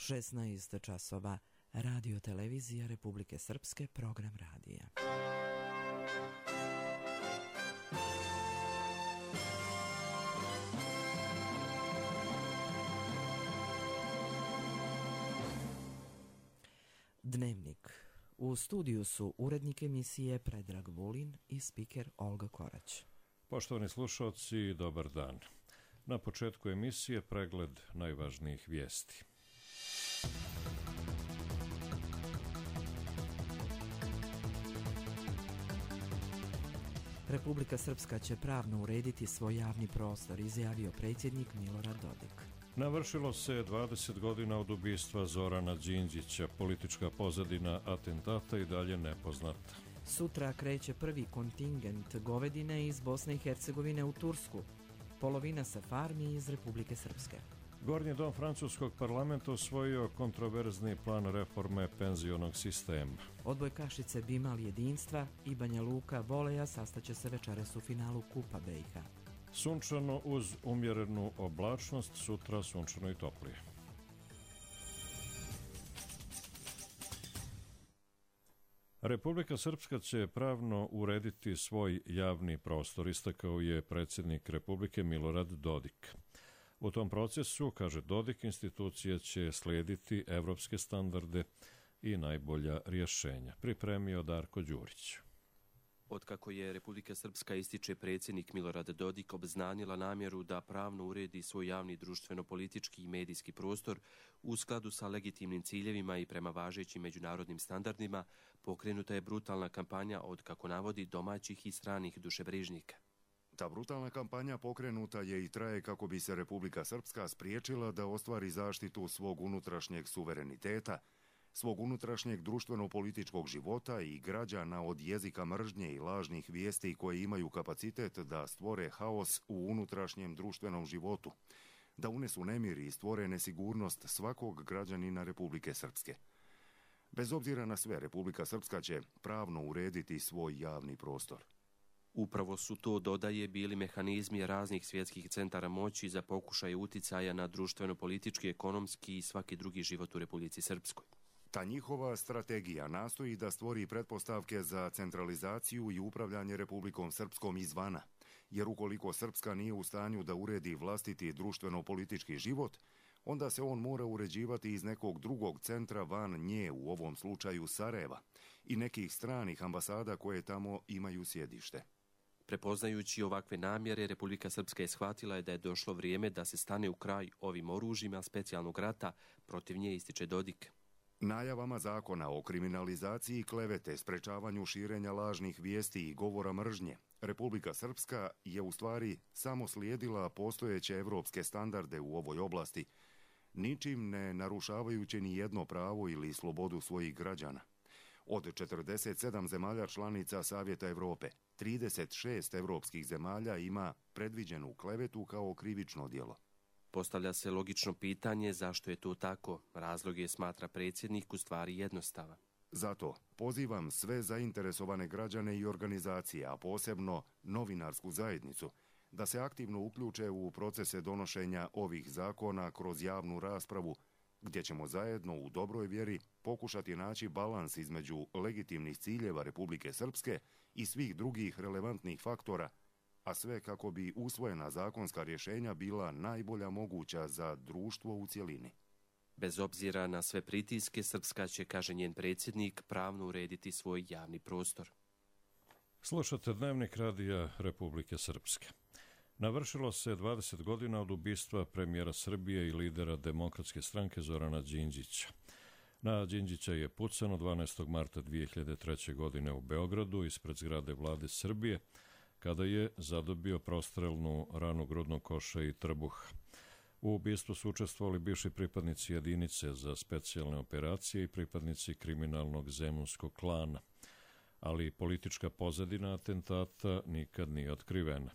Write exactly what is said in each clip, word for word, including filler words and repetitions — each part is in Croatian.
šesnaest časova, Radio Televizija Republike Srpske, program radija. Dnevnik. U studiju su urednik emisije Predrag Vulin i spiker Olga Korać. Poštovani slušalci, dobar dan. Na početku emisije pregled najvažnijih vijesti. Republika Srpska će pravno urediti svoj javni prostor, izjavio predsjednik Milorad Dodik. Navršilo se dvadeset godina od ubistva Zorana Đinđića. Politička pozadina atentata i dalje nepoznata. Sutra kreće prvi kontingent govedine iz Bosne i Hercegovine u Tursku. Polovina sa farmi iz Republike Srpske. Gornji dom francuskog parlamenta usvojio kontroverzni plan reforme penzionog sistema. Odbojkašice Bimal jedinstva i Banja Luka voleja sastaće se večeras u finalu Kupa B i H. Sunčano uz umjerenu oblačnost, sutra sunčano i toplije. Republika Srpska će pravno urediti svoj javni prostor, istakao je predsjednik Republike Milorad Dodik. U tom procesu, kaže Dodik, institucije će slijediti evropske standarde i najbolja rješenja. Pripremio Darko Đurić. Otkako je Republika Srpska, ističe predsjednik Milorad Dodik, obznanila namjeru da pravno uredi svoj javni društveno-politički i medijski prostor u skladu sa legitimnim ciljevima i prema važećim međunarodnim standardima, pokrenuta je brutalna kampanja od, kako navodi, domaćih i stranih dušebrižnika. Ta brutalna kampanja pokrenuta je i traje kako bi se Republika Srpska spriječila da ostvari zaštitu svog unutrašnjeg suvereniteta, svog unutrašnjeg društveno-političkog života i građana od jezika mržnje i lažnih vijesti koje imaju kapacitet da stvore haos u unutrašnjem društvenom životu, da unesu nemir i stvore nesigurnost svakog građanina Republike Srpske. Bez obzira na sve, Republika Srpska će pravno urediti svoj javni prostor. Upravo su to, dodaje, bili mehanizmi raznih svjetskih centara moći za pokušaje uticaja na društveno-politički, ekonomski i svaki drugi život u Republici Srpskoj. Ta njihova strategija nastoji da stvori pretpostavke za centralizaciju i upravljanje Republikom Srpskom izvana, jer ukoliko Srpska nije u stanju da uredi vlastiti društveno-politički život, onda se on mora uređivati iz nekog drugog centra van nje, u ovom slučaju Sarajeva, i nekih stranih ambasada koje tamo imaju sjedište. Prepoznajući ovakve namjere, Republika Srpska je shvatila je da je došlo vrijeme da se stane u kraj ovim oružjima specijalnog rata, protiv nje, ističe Dodik. Najavama zakona o kriminalizaciji klevete, sprečavanju širenja lažnih vijesti i govora mržnje, Republika Srpska je u stvari samo slijedila postojeće evropske standarde u ovoj oblasti, ničim ne narušavajući ni jedno pravo ili slobodu svojih građana. Od četrdeset sedam zemalja članica Savjeta Evrope, trideset šest evropskih zemalja ima predviđenu klevetu kao krivično djelo. Postavlja se logično pitanje zašto je to tako. Razlog je, smatra predsjednik, u stvari jednostavan. Zato pozivam sve zainteresovane građane i organizacije, a posebno novinarsku zajednicu, da se aktivno uključe u procese donošenja ovih zakona kroz javnu raspravu, gdje ćemo zajedno u dobroj vjeri pokušati naći balans između legitimnih ciljeva Republike Srpske i svih drugih relevantnih faktora, a sve kako bi usvojena zakonska rješenja bila najbolja moguća za društvo u cjelini. Bez obzira na sve pritiske, Srpska će, kaže njen predsjednik, pravno urediti svoj javni prostor. Slušate Dnevnik radija Republike Srpske. Navršilo se dvadeset godina od ubistva premijera Srbije i lidera Demokratske stranke Zorana Đinđića. Na Đinđića je pucano dvanaestog marta dvije hiljade treće. godine u Beogradu ispred zgrade vlade Srbije, kada je zadobio prostrelnu ranu grudnog koša i trbuha. U ubistvu su učestvovali bivši pripadnici jedinice za specijalne operacije i pripadnici kriminalnog zemunskog klana, ali politička pozadina atentata nikad nije otkrivena.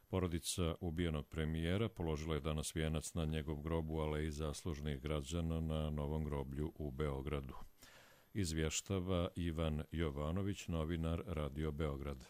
Porodica ubijenog premijera položila je danas vijenac na njegov grobu Aleji zaslužnih građana na Novom groblju u Beogradu. Izvještava Ivan Jovanović, novinar Radio Beograd.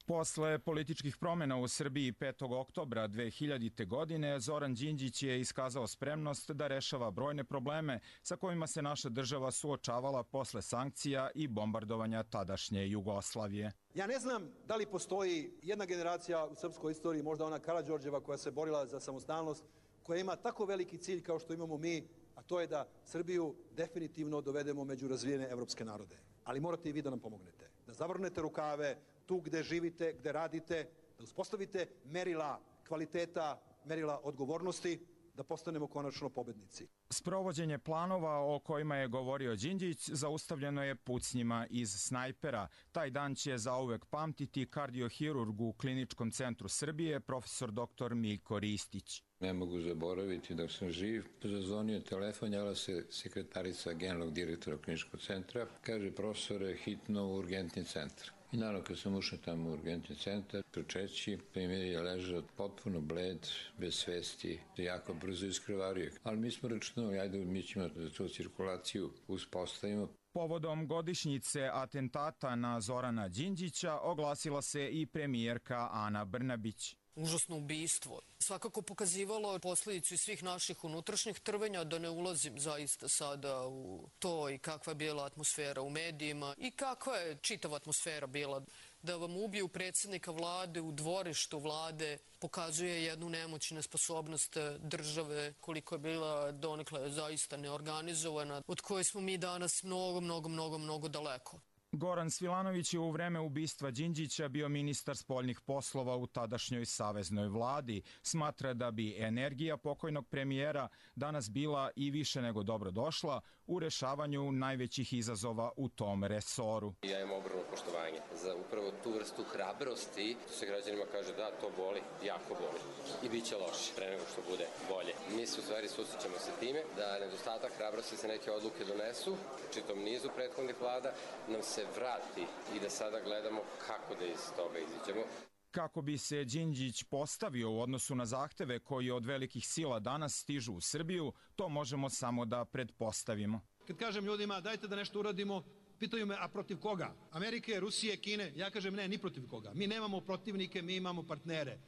Posle političkih promjena u Srbiji petog oktobra dve hiljadite. godine, Zoran Đinđić je iskazao spremnost da rešava brojne probleme sa kojima se naša država suočavala posle sankcija i bombardovanja tadašnje Jugoslavije. Ja ne znam da li postoji jedna generacija u srpskoj istoriji, možda ona Karađorđeva koja se borila za samostalnost, koja ima tako veliki cilj kao što imamo mi, a to je da Srbiju definitivno dovedemo među razvijene evropske narode. Ali morate i vi da nam pomognete, da zavrnete rukave tu gde živite, gde radite, da uspostavite merila kvaliteta, merila odgovornosti, da postanemo konačno pobednici. Sprovođenje planova o kojima je govorio Đinđić zaustavljeno je pucnjima iz snajpera. Taj dan će zauvek pamtiti kardiohirurg u Kliničkom centru Srbije, profesor doktor Miljko Ristić. Ne mogu zaboraviti dok sam živ. Zazvonio telefon, javila se sekretarica generalnog direktora Kliničkog centra. Kaže, profesore, hitno u urgentni centar. I naravno, kad sam ušao tamo u urgentni centar, trčeći, premijer je ležao potpuno bled, bez svesti, jako brzo iskrvario. Ali mi smo računali, ajde, mi ćemo da tu cirkulaciju uspostavimo. Povodom godišnjice atentata na Zorana Đinđića oglasila se i premijerka Ana Brnabić. Užasno ubistvo. Svakako pokazivalo posljedicu svih naših unutrašnjih trvenja, da ne ulazim zaista sada u to i kakva je bila atmosfera u medijima i kakva je čitava atmosfera bila. Da vam ubiju predsjednika vlade u dvorištu vlade pokazuje jednu nemoć i nesposobnost države, koliko je bila donekle zaista neorganizovana, od koje smo mi danas mnogo, mnogo, mnogo, mnogo daleko. Goran Svilanović je u vreme ubistva Đinđića bio ministar spoljnih poslova u tadašnjoj saveznoj vladi. Smatra da bi energija pokojnog premijera danas bila i više nego dobro došla u rešavanju najvećih izazova u tom resoru. Ja imam ogromno poštovanje za upravo tu vrstu hrabrosti. Tu se građanima kaže da to boli, jako boli i bit će loše pre nego što bude bolje. Mi se u stvari susrećemo sa time da nedostatak hrabrosti se neke odluke donesu, čitom nizu prethodnih vlada, nam se vrati i da sada gledamo kako da iz toga iziđemo. Kako bi se Đinđić postavio u odnosu na zahteve koji od velikih sila danas stižu u Srbiju, to možemo samo da pretpostavimo. Kad kažem ljudima dajte da nešto uradimo, pitaju me a protiv koga? Amerike, Rusije, Kine? Ja kažem ne, ni protiv koga. Mi nemamo protivnike, mi imamo partnere.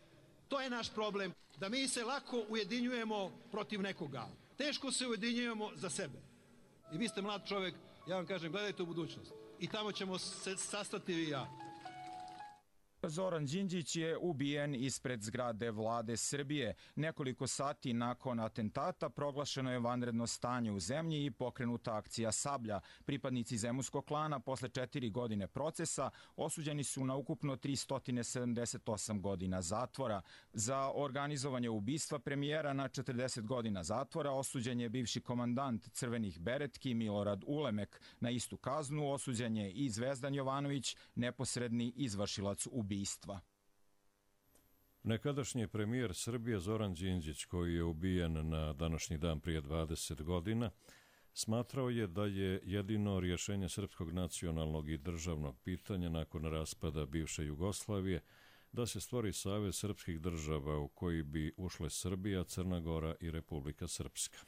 To je naš problem, da mi se lako ujedinjujemo protiv nekoga. Teško se ujedinjujemo za sebe. I vi ste mlad čovjek, ja vam kažem gledajte u budućnost. I tamo ćemo se sastati vi i ja. Zoran Đinđić je ubijen ispred zgrade vlade Srbije. Nekoliko sati nakon atentata proglašeno je vanredno stanje u zemlji i pokrenuta akcija Sablja. Pripadnici zemunskog klana posle četiri godine procesa osuđeni su na ukupno tristo sedamdeset osam godina zatvora. Za organizovanje ubistva premijera na četrdeset godina zatvora osuđen je bivši komandant Crvenih beretki Milorad Ulemek. Na istu kaznu osuđen je i Zvezdan Jovanović, neposredni izvršilac ubistva. Nekadašnji premijer Srbije Zoran Đinđić, koji je ubijen na današnji dan prije dvadeset godina, smatrao je da je jedino rješenje srpskog nacionalnog i državnog pitanja nakon raspada bivše Jugoslavije da se stvori savez srpskih država u koji bi ušle Srbija, Crna Gora i Republika Srpska.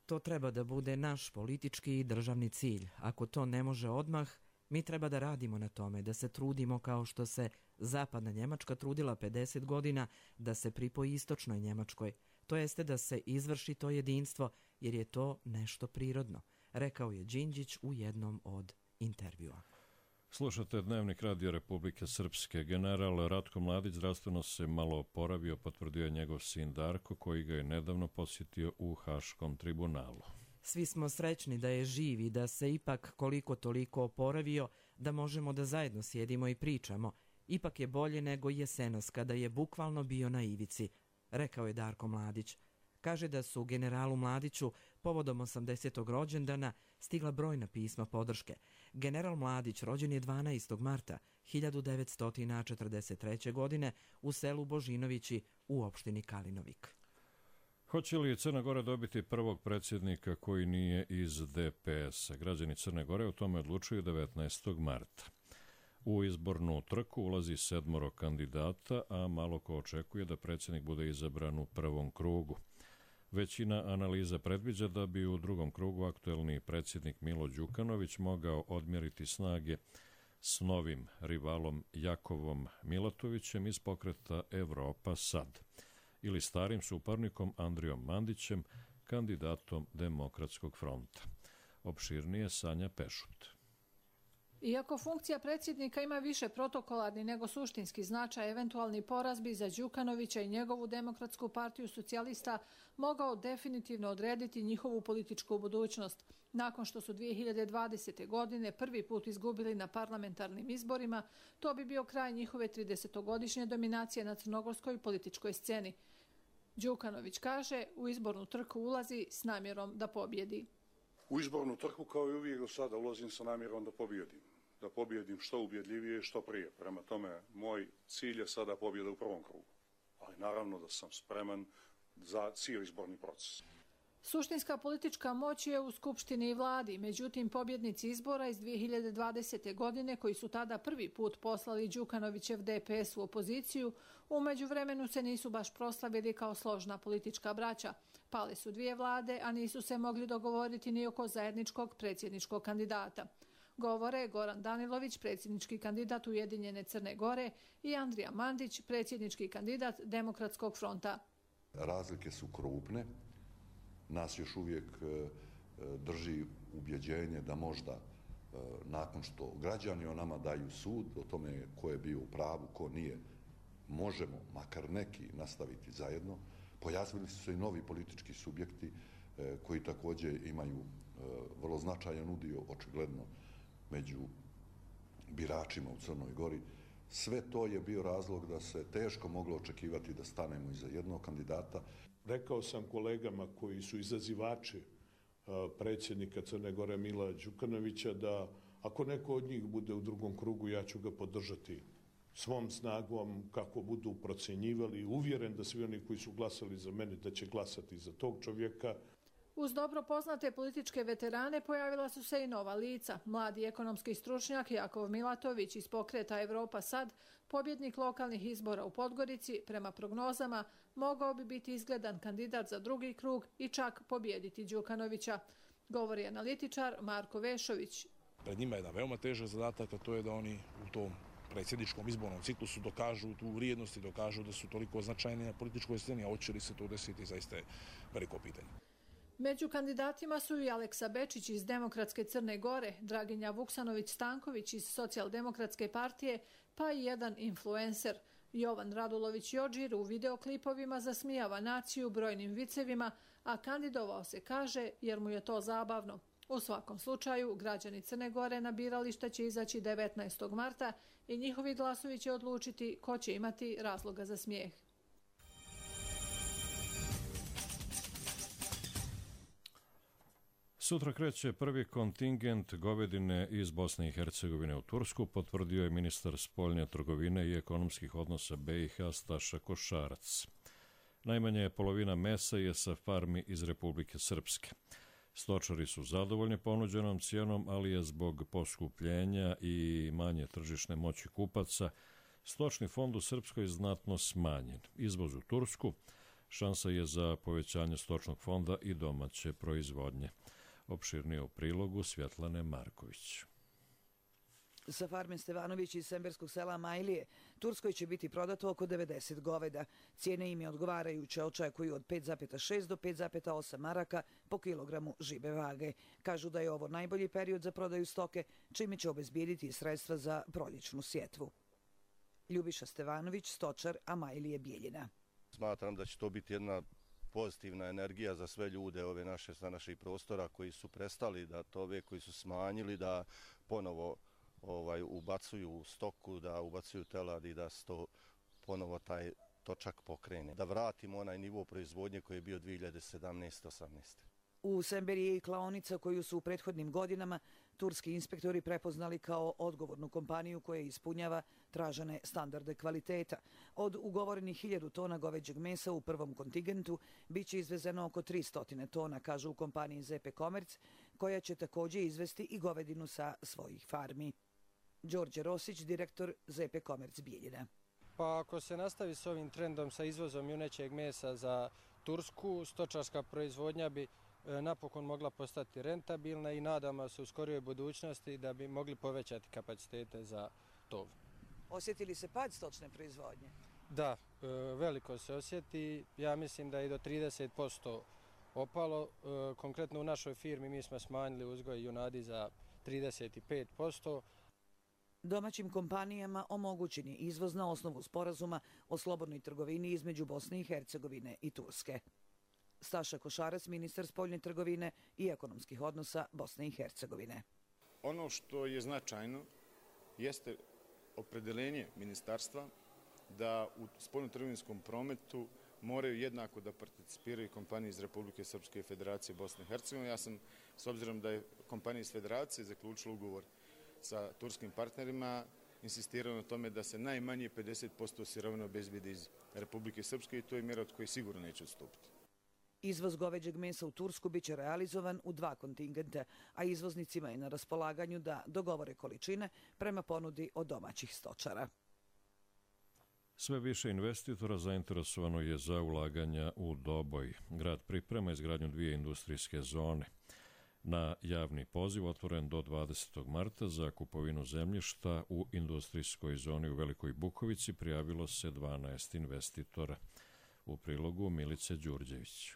To treba da bude naš politički i državni cilj. Ako to ne može odmah, mi treba da radimo na tome, da se trudimo kao što se Zapadna Njemačka trudila pedeset godina da se pripoji Istočnoj Njemačkoj. To jeste da se izvrši to jedinstvo, jer je to nešto prirodno, rekao je Đinđić u jednom od intervjua. Slušate Dnevnik Radio Republike Srpske. General Ratko Mladić zdravstveno se malo oporavio, potvrdio je njegov sin Darko, koji ga je nedavno posjetio u Haškom tribunalu. Svi smo srećni da je živ i da se ipak koliko toliko oporavio, da možemo da zajedno sjedimo i pričamo. Ipak je bolje nego jesenas kada je bukvalno bio na ivici, rekao je Darko Mladić. Kaže da su generalu Mladiću povodom osamdesetog rođendana stigla brojna pisma podrške. General Mladić rođen je dvanaestog marta hiljadu devetsto četrdeset treće. godine u selu Božinovići u opštini Kalinovik. Hoće li Crna Gora dobiti prvog predsjednika koji nije iz D P S-a? Građani Crne Gore o tome odlučuju devetnaestog marta. U izbornu trku ulazi sedmoro kandidata, a malo ko očekuje da predsjednik bude izabran u prvom krugu. Većina analiza predviđa da bi u drugom krugu aktuelni predsjednik Milo Đukanović mogao odmjeriti snage s novim rivalom Jakovom Milatovićem iz pokreta Evropa sad ili starim suparnikom Andrijom Mandićem, kandidatom Demokratskog fronta. Opširnije Sanja Pešut. Iako funkcija predsjednika ima više protokolarni nego suštinski značaj, eventualni poraz bi za Đukanovića i njegovu Demokratsku partiju socijalista mogao definitivno odrediti njihovu političku budućnost. Nakon što su dvije hiljade dvadesete. godine prvi put izgubili na parlamentarnim izborima, to bi bio kraj njihove tridesetogodišnje dominacije na crnogorskoj političkoj sceni. Đukanović kaže, u izbornu trku ulazi s namjerom da pobjedi. U izbornu trku, kao i uvijek do sada, ulazim sa namjerom da pobjedim. Da pobjedim što ubjedljivije, što prije. Prema tome, moj cilj je sada pobjeda u prvom krugu. Ali naravno da sam spreman za cijeli izborni proces. Suštinska politička moć je u Skupštini i vladi, međutim pobjednici izbora iz dvije hiljade dvadesete. godine, koji su tada prvi put poslali Đukanovićev D P S u opoziciju, u međuvremenu se nisu baš proslavili kao složna politička braća. Pale su dvije vlade, a nisu se mogli dogovoriti ni oko zajedničkog predsjedničkog kandidata. Govore Goran Danilović, predsjednički kandidat Ujedinjene Crne Gore, i Andrija Mandić, predsjednički kandidat Demokratskog fronta. Razlike su krupne. Nas još uvijek drži ubjeđenje da možda nakon što građani o nama daju sud, o tome ko je bio u pravu, ko nije, možemo, makar neki, nastaviti zajedno. Pojavili su se i novi politički subjekti koji također imaju vrlo značajan udio, očigledno, među biračima u Crnoj Gori. Sve to je bio razlog da se teško moglo očekivati da stanemo iza jednog kandidata. Rekao sam kolegama koji su izazivači predsjednika Crne Gore Mila Đukanovića da ako neko od njih bude u drugom krugu, ja ću ga podržati svom snagom kako budu procjenjivali. Uvjeren da svi oni koji su glasali za mene da će glasati za tog čovjeka. Uz dobro poznate političke veterane pojavila su se i nova lica. Mladi ekonomski stručnjak Jakov Milatović iz pokreta Evropa sad, pobjednik lokalnih izbora u Podgorici, prema prognozama mogao bi biti izgledan kandidat za drugi krug i čak pobijediti Đukanovića, govori analitičar Marko Vešović. Pred njima je jedan veoma težak zadatak, a to je da oni u tom predsjedničkom izbornom ciklusu dokažu tu vrijednost i dokažu da su toliko značajni na političkoj sceni, a hoće li se to desiti, zaista je veliko pitanje. Među kandidatima su i Aleksa Bečić iz Demokratske Crne Gore, Draginja Vuksanović-Stanković iz Socijaldemokratske partije, pa i jedan influencer. Jovan Radulović-Jodžir u videoklipovima zasmijava naciju brojnim vicevima, a kandidovao se, kaže, jer mu je to zabavno. U svakom slučaju, građani Crne Gore na birališta će izaći devetnaestog marta i njihovi glasovi će odlučiti ko će imati razloga za smijeh. Sutra kreće prvi kontingent govedine iz Bosne i Hercegovine u Tursku, potvrdio je ministar spoljne trgovine i ekonomskih odnosa B i H Staša Košarac. Najmanje polovina mesa je sa farmi iz Republike Srpske. Stočari su zadovoljni ponuđenom cijenom, ali je zbog poskupljenja i manje tržišne moći kupaca stočni fond u Srpskoj znatno smanjen. Izvoz u Tursku šansa je za povećanje stočnog fonda i domaće proizvodnje. Opširnije u prilogu Svjetlane Marković. Sa farme Stevanović iz Semberskog sela Majlije, Turskoj će biti prodato oko devedeset goveda. Cijene im je odgovarajuće, očekuju od pet zarez šest do pet zarez osam maraka po kilogramu žive vage. Kažu da je ovo najbolji period za prodaju stoke, čime će obezbijediti sredstva za proljećnu sjetvu. Ljubiša Stevanović, stočar, a Majlije Bijeljina. Smatram da će to biti jedna pozitivna energija za sve ljude ove naše, sa naših prostora koji su prestali da tove, koji su smanjili, da ponovo ovaj, ubacuju stoku, da ubacuju telad i da se to ponovo taj točak pokrene. Da vratimo onaj nivo proizvodnje koji je bio dvije hiljade sedamnaeste osamnaeste. U Semberi je i klaonica koju su u prethodnim godinama turski inspektori prepoznali kao odgovornu kompaniju koja ispunjava tražene standarde kvaliteta. Od ugovorenih hiljadu tona goveđeg mesa u prvom kontingentu biće izvezeno oko tristo tona, kažu u kompaniji Z P Komerc, koja će također izvesti i govedinu sa svojih farmi. Đorđe Rosić, direktor Z P Komerc Bijeljina. Pa ako se nastavi s ovim trendom sa izvozom junećeg mesa za Tursku, stočarska proizvodnja bi napokon mogla postati rentabilna i nadamo se u skorijoj budućnosti da bi mogli povećati kapacitete za tov. Osjetili se pad stočne proizvodnje? Da, veliko se osjeti. Ja mislim da je do trideset posto opalo. Konkretno u našoj firmi mi smo smanjili uzgoj junadi za trideset pet posto. Domaćim kompanijama omogućen je izvoz na osnovu sporazuma o slobodnoj trgovini između Bosne i Hercegovine i Turske. Staša Košarac, ministar spoljne trgovine i ekonomskih odnosa Bosne i Hercegovine. Ono što je značajno jeste opredeljenje ministarstva da u spoljno-trgovinskom prometu moraju jednako da participiraju kompanije iz Republike Srpske i Federacije Bosne i Hercegovine. Ja sam, s obzirom da je kompanija iz Federacije zaključila ugovor sa turskim partnerima, insistirao na tome da se najmanje pedeset posto sirovina obezbedi iz Republike Srpske i to je mjera od koje sigurno neće odstupiti. Izvoz goveđeg mesa u Tursku biće realizovan u dva kontingenta, a izvoznicima je na raspolaganju da dogovore količine prema ponudi od domaćih stočara. Sve više investitora zainteresovano je za ulaganja u Doboj. Grad priprema izgradnju dvije industrijske zone. Na javni poziv otvoren do dvadesetog marta za kupovinu zemljišta u industrijskoj zoni u Velikoj Bukovici prijavilo se dvanaest investitora. U prilogu Milice Đurđević.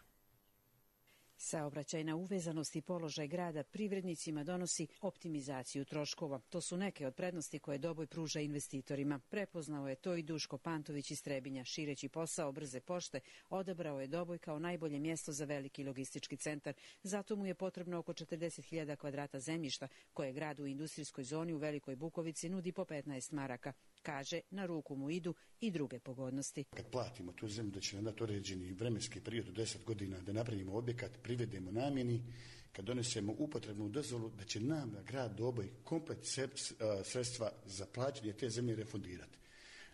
Saobraćajna uvezanost i položaj grada privrednicima donosi optimizaciju troškova. To su neke od prednosti koje Doboj pruža investitorima. Prepoznao je to i Duško Pantović iz Trebinja. Šireći posao brze pošte, odabrao je Doboj kao najbolje mjesto za veliki logistički centar. Zato mu je potrebno oko četrdeset hiljada kvadrata zemljišta, koje grad u industrijskoj zoni u Velikoj Bukovici nudi po petnaest maraka. Kaže, na ruku mu idu i druge pogodnosti. Kad platimo tu zemlju, da će nam dati određeni vremenski period od deset godina da napravimo objekat, privedemo namjeni, kad donesemo upotrebnu dozvolu, da će nam grad Doboj komplet sredstva za plaćanje te zemlje refundirati.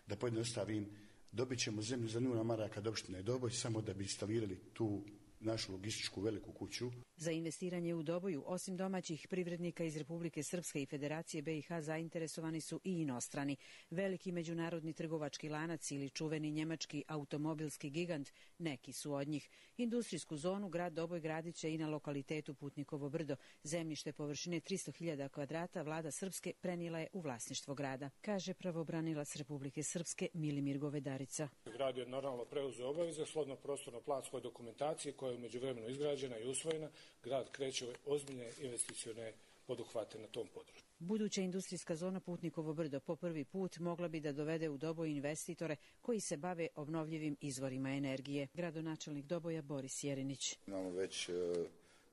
Da pojednostavim, dobit ćemo zemlju za nula maraka od opštine Doboj samo da bi instalirali tu našu logističku veliku kuću. Za investiranje u Doboju, osim domaćih privrednika iz Republike Srpske i Federacije B i H, zainteresovani su i inostrani. Veliki međunarodni trgovački lanac ili čuveni njemački automobilski gigant, neki su od njih. Industrijsku zonu grad Doboj gradit će i na lokalitetu Putnikovo brdo. Zemljište površine tristo hiljada kvadrata vlada Srpske prenijela je u vlasništvo grada, kaže pravobranilac Republike Srpske Milimir Govedarica. Grad je naravno preuzeo obaveze shodno prostorno-planskoj dokumentaciji koja je u međuvremenu izgrađena i usvojena. Grad kreće ozbiljne investicione poduhvate na tom području. Buduća industrijska zona Putnikovo brdo po prvi put mogla bi da dovede u Doboj investitore koji se bave obnovljivim izvorima energije. Gradonačelnik Doboja Boris Jerinić. Imamo već,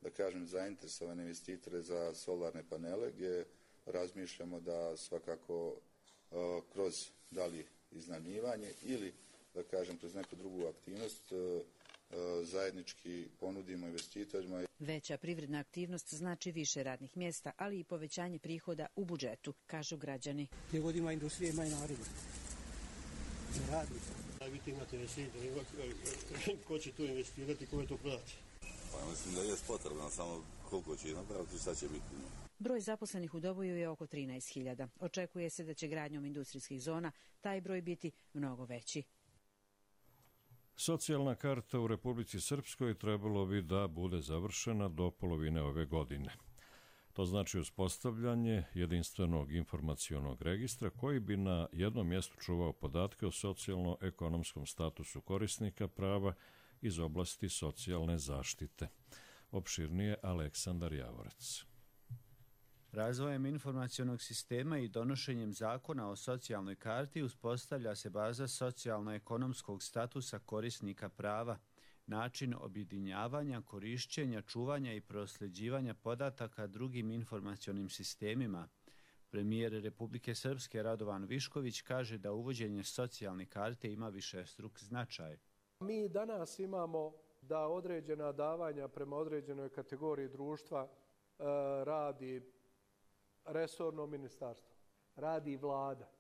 da kažem, zainteresovane investitore za solarne panele gdje razmišljamo da svakako kroz da li iznajmljivanje ili, da kažem, kroz neku drugu aktivnost zajednički ponudimo investitorima. Veća privredna aktivnost znači više radnih mjesta, ali i povećanje prihoda u budžetu, kažu građani. Gdje god ima industrije, ima i naroda. Ne radi. A vi imate investitore, ko će tu investirati, ko je to prodati? Pa mislim da je potrebno, samo koliko će napraviti, šta će biti. Broj zaposlenih u Doboju je oko trinaest hiljada. Očekuje se da će gradnjom industrijskih zona taj broj biti mnogo veći. Socijalna karta u Republici Srpskoj trebalo bi da bude završena do polovine ove godine. To znači uspostavljanje jedinstvenog informacionog registra koji bi na jednom mjestu čuvao podatke o socijalno-ekonomskom statusu korisnika prava iz oblasti socijalne zaštite. Opširnije Aleksandar Javorac. Razvojem informacionog sistema i donošenjem zakona o socijalnoj karti uspostavlja se baza socijalno-ekonomskog statusa korisnika prava, način objedinjavanja, korišćenja, čuvanja i prosljeđivanja podataka drugim informacionim sistemima. Premijer Republike Srpske Radovan Višković kaže da uvođenje socijalne karte ima višestruk značaj. Mi danas imamo da određena davanja prema određenoj kategoriji društva e, radi resorno ministarstvo, radi vlada,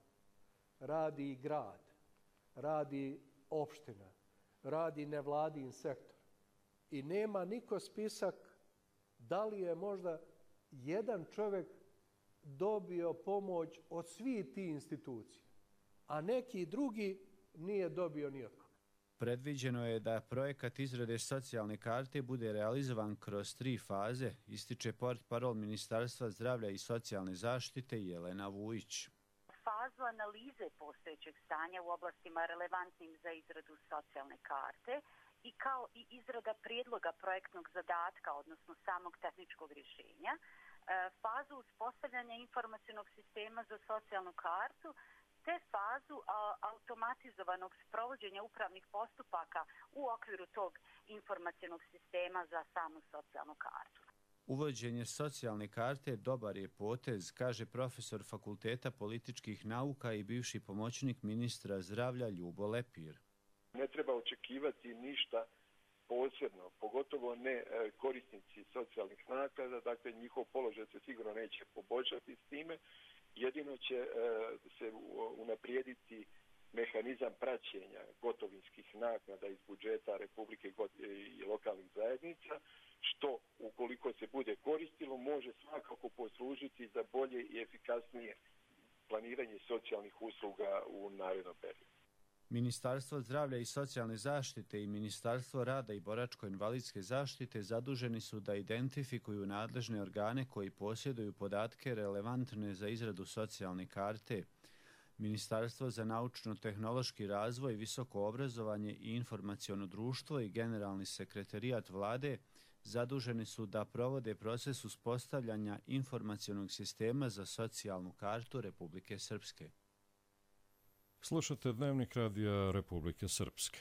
radi grad, radi opština, radi nevladin sektor. I nema niko spisak da li je možda jedan čovjek dobio pomoć od svih tih institucija, a neki drugi nije dobio ni od koga. Predviđeno je da projekat izrade socijalne karte bude realizovan kroz tri faze, ističe portparol Ministarstva zdravlja i socijalne zaštite Jelena Vujić. Fazu analize postojećeg stanja u oblastima relevantnim za izradu socijalne karte i kao i izrada prijedloga projektnog zadatka, odnosno samog tehničkog rješenja, fazu uspostavljanja informacionog sistema za socijalnu kartu, te fazu a, automatizovanog sprovođenja upravnih postupaka u okviru tog informacionog sistema za samu socijalnu kartu. Uvođenje socijalne karte dobar je potez, kaže profesor Fakulteta političkih nauka i bivši pomoćnik ministra zdravlja Ljubo Lepir. Ne treba očekivati ništa posebno, pogotovo ne korisnici socijalnih naknada, dakle njihov položaj se sigurno neće poboljšati s time. Jedino će e, se unaprijediti mehanizam praćenja gotovinskih naknada iz budžeta Republike i lokalnih zajednica, što ukoliko se bude koristilo može svakako poslužiti za bolje i efikasnije planiranje socijalnih usluga u narednom periodu. Ministarstvo zdravlja i socijalne zaštite i Ministarstvo rada i boračko-invalidske zaštite zaduženi su da identifikuju nadležne organe koji posjeduju podatke relevantne za izradu socijalne karte. Ministarstvo za naučno-tehnološki razvoj, visoko obrazovanje i informaciono društvo i Generalni sekretarijat vlade zaduženi su da provode proces uspostavljanja informacionog sistema za socijalnu kartu Republike Srpske. Slušate Dnevnik radija Republike Srpske.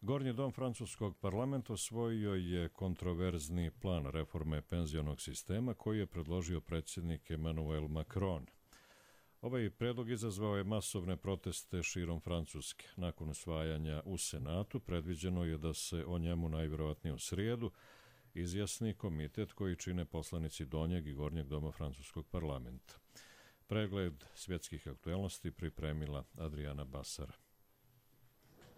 Gornji dom francuskog parlamenta usvojio je kontroverzni plan reforme penzionog sistema koji je predložio predsjednik Emmanuel Macron. Ovaj predlog izazvao je masovne proteste širom Francuske. Nakon usvajanja u Senatu predviđeno je da se o njemu najvjerovatnije u srijedu izjasni komitet koji čine poslanici donjeg i gornjeg doma francuskog parlamenta. Pregled svjetskih aktuelnosti pripremila Adriana Basara.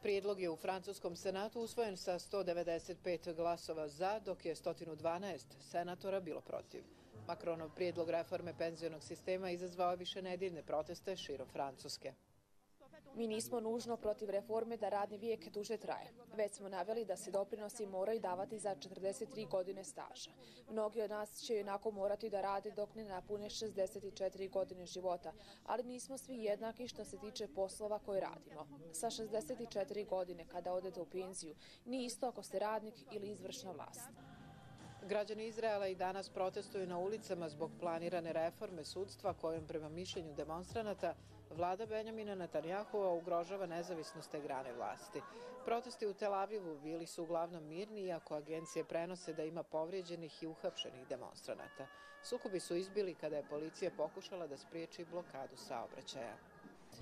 Prijedlog je u francuskom senatu usvojen sa sto devedeset pet glasova za, dok je sto dvanaest senatora bilo protiv. Macronov prijedlog reforme penzionog sistema izazvao višenedeljne proteste širom Francuske. Mi nismo nužno protiv reforme da radni vijek duže traje. Već smo naveli da se doprinosi moraju davati za četrdeset tri godine staža. Mnogi od nas će jednako morati da rade dok ne napune šezdeset četiri godine života, ali nismo svi jednaki što se tiče poslova koje radimo. Sa šezdeset četiri godine kada odete u penziju, nije isto ako ste radnik ili izvršna vlast. Građani Izraela i danas protestuju na ulicama zbog planirane reforme sudstva kojom prema mišljenju demonstranata vlada Benjamina Netanjahua ugrožava nezavisnost te grane vlasti. Protesti u Tel Avivu bili su uglavnom mirni, iako agencije prenose da ima povrijeđenih i uhapšenih demonstranata. Sukobi su izbili kada je policija pokušala da spriječi blokadu saobraćaja.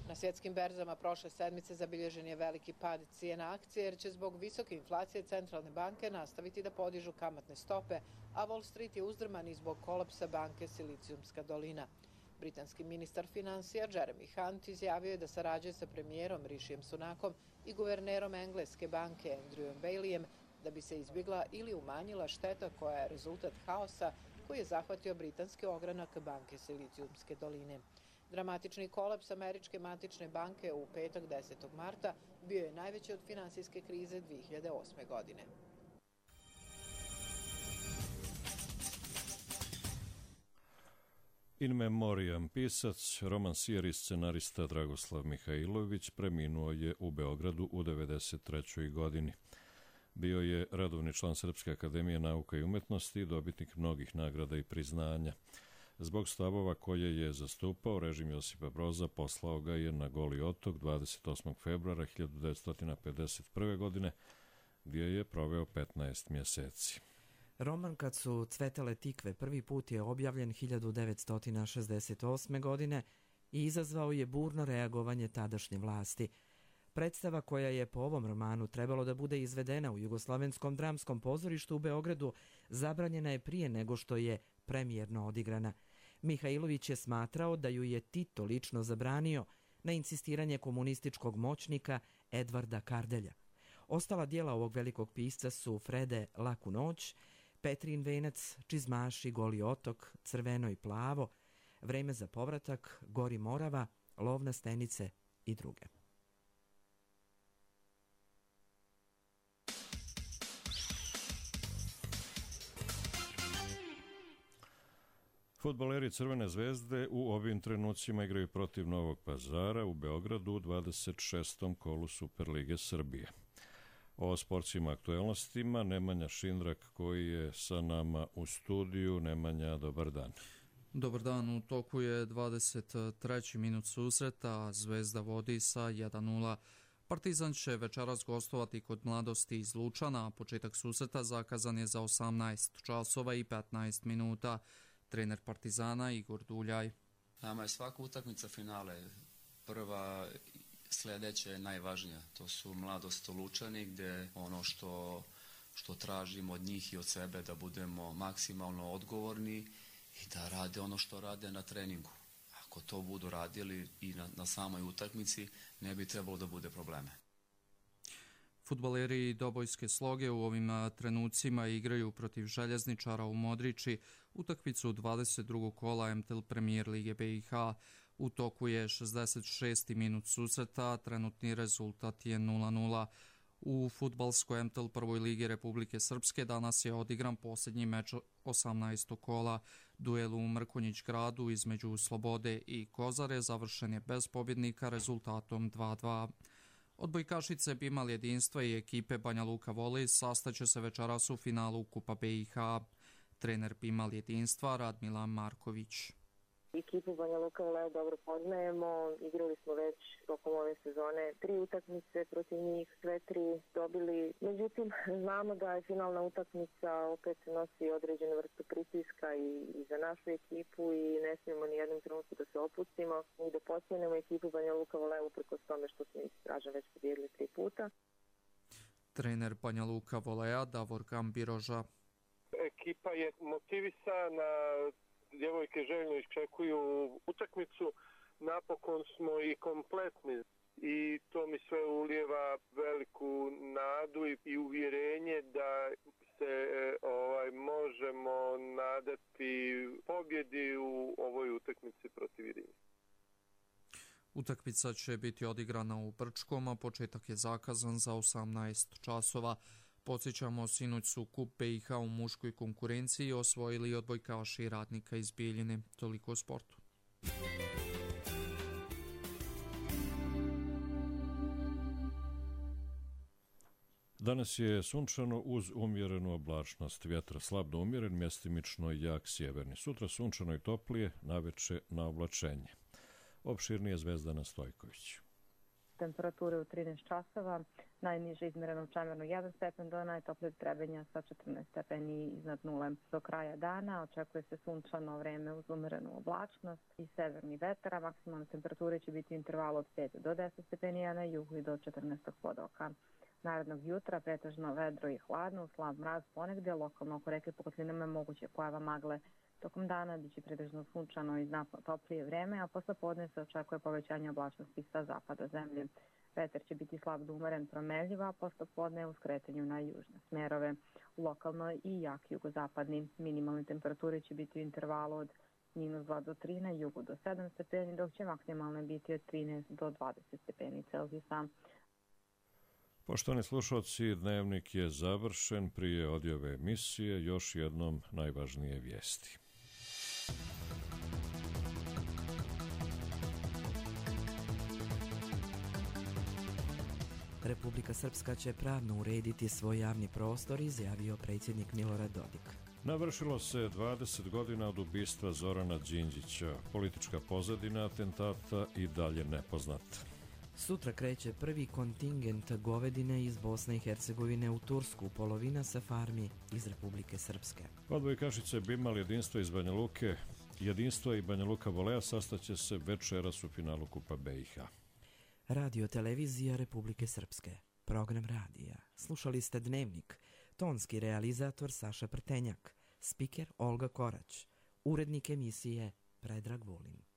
Na svjetskim berzama prošle sedmice zabilježen je veliki pad cijena akcije jer će zbog visoke inflacije centralne banke nastaviti da podižu kamatne stope, a Wall Street je uzdrman i zbog kolapsa banke Silicijumska dolina. Britanski ministar financija Jeremy Hunt izjavio je da sarađuje sa premijerom Rishijem Sunakom i guvernerom Engleske banke Andrewom Baileyem da bi se izbjegla ili umanjila šteta koja je rezultat haosa koji je zahvatio britanski ogranak banke Silicijumske doline. Dramatični kolaps američke matične banke u petak desetog marta bio je najveći od finansijske krize dvije hiljade osme. godine. In memoriam pisac, romansijer i scenarista Dragoslav Mihajlović preminuo je u Beogradu u devedeset trećoj. godini. Bio je redovni član Srpske akademije nauka i umetnosti i dobitnik mnogih nagrada i priznanja. Zbog stavova koje je zastupao, režim Josipa Broza poslao ga je na Goli otok dvadeset osmog februara hiljadu devetsto pedeset prve. godine, gdje je proveo petnaest mjeseci. Roman Kad su cvetale tikve prvi put je objavljen hiljadu devetsto šezdeset osme. godine i izazvao je burno reagovanje tadašnje vlasti. Predstava koja je po ovom romanu trebalo da bude izvedena u Jugoslavenskom dramskom pozorištu u Beogradu zabranjena je prije nego što je premijerno odigrana. Mihajlović je smatrao da ju je Tito lično zabranio na insistiranje komunističkog moćnika Edvarda Kardelja. Ostala dijela ovog velikog pisca su Frede Laku noć, Petrin venac, Čizmaši, Goli otok, Crveno i plavo, Vreme za povratak, Gori Morava, Lov na stenice i druge. Fudbaleri Crvene zvezde u ovim trenucima igraju protiv Novog Pazara u Beogradu u dvadeset šestom kolu Superlige Srbije. O sportskim aktuelnostima Nemanja Šindrak koji je sa nama u studiju. Nemanja, dobar dan. Dobar dan, u toku je dvadeset treći minut susreta, Zvezda vodi sa jedan nula. Partizan će večeras gostovati kod Mladosti iz Lučana, a početak susreta zakazan je za osamnaest časova i petnaest minuta. Trener Partizana Igor Duljaj. Nama je svaka utakmica finale. Prva, sljedeća je najvažnija. To su Mladost Lučani, gdje ono što, što tražimo od njih i od sebe da budemo maksimalno odgovorni i da rade ono što rade na treningu. Ako to budu radili i na, na samoj utakmici, ne bi trebalo da bude probleme. Fudbaleri Dobojske Sloge u ovim trenucima igraju protiv Željezničara u Modriči utakmicu dvadeset drugog kola M T L Premier Lige B i H. U toku je šezdeset šesti minut susreta, trenutni rezultat je nula nula. U fudbalskoj M T L prvoj ligi Republike Srpske danas je odigran posljednji meč osamnaestog kola. Duel u Mrkonjić gradu između Slobode i Kozare završen je bez pobjednika rezultatom dva dva. Odbojkašice Bimal Jedinstva i ekipe Banja Luka Volej sastaće se večeras u finalu Kupa B i H. Trener Bimal Jedinstva Radmila Marković. Ekipu Banja Luka Volej dobro poznajemo, igrali smo već tokom ove sezone tri utakmice protiv njih, sve tri dobili. Međutim, znamo da je finalna utakmica opet nosi određenu vrstu pritiska i, i za našu ekipu i ne smijemo ni jednom trenutku da se opustimo i da pocijenimo ekipu Banja Luka Volej uprkos tome što smo ih, kažem, već pobijedili tri puta. Trener Banja Luka Voleja Davor Gambiroža. Ekipa je motivisana, djevojke željno iščekuju utakmicu, napokon smo i kompletni i to mi sve ulijeva veliku nadu i, i uvjerenje da se ovaj, možemo nadati pobjedi u ovoj utakmici protiv Irine. Utakmica će biti odigrana u Brčkom, a početak je zakazan za osamnaest časova. Podsjećamo, sinoć su Kup B i H u muškoj konkurenciji osvojili odbojkaši Radnika iz Bijeljine. Toliko o sportu. Danas je sunčano uz umjerenu oblačnost. Vjetar slab do umjeren, mjestimično jak sjeverni. Sutra sunčano i toplije, naveče na oblačenje. Opširnije Zvezdana Stojković. Temperature u trinaest časova, najniže izmjereno u Čemernu jedan stepen do najtoplijeg Trebinja sa četrnaest stepeni iznad nule. Do kraja dana očekuje se sunčano vreme uz umjerenu oblačnost i severni vetar, a maksimalne temperature će biti u intervalu od pet do deset stepeni, a na jugu i do četrnaest pod oka. Narednog jutra pretežno vedro i hladno, slab mraz ponegdje, lokalno oko reke po kotlinama je moguće pojava magle. Tokom dana biće pretežno sunčano i znatno toplije vreme, a posle podne se očekuje povećanje oblačnosti sa zapada zemlje. Vetar će biti slab do umeren promenljiv, a posle podne u skretanju na južne smerove. Lokalno i jak jugozapadni. Minimalne temperature će biti u intervalu od minus dva do tri, na jugu do sedam stepeni, dok će maksimalne biti od trinaest do dvadeset stepeni Celzijusa. Poštovani slušalci, dnevnik je završen. Prije odjave emisije još jednom najvažnije vijesti. Republika Srpska će pravno urediti svoj javni prostor, izjavio predsjednik Milorad Dodik. Navršilo se dvadeset godina od ubistva Zorana Đinđića. Politička pozadina atentata i dalje nepoznata. Sutra kreće prvi kontingent govedine iz Bosne i Hercegovine u Tursku, polovina sa farmi iz Republike Srpske. Odbojkašice Bimal Jedinstva iz Banja Luke, Jedinstva i Banja Luka Voleja sastaće se večeras u finalu Kupa B i H. Radio televizija Republike Srpske. Program radija. Slušali ste Dnevnik. Tonski realizator Saša Prtenjak. Spiker Olga Korać. Urednik emisije Predrag Vulin.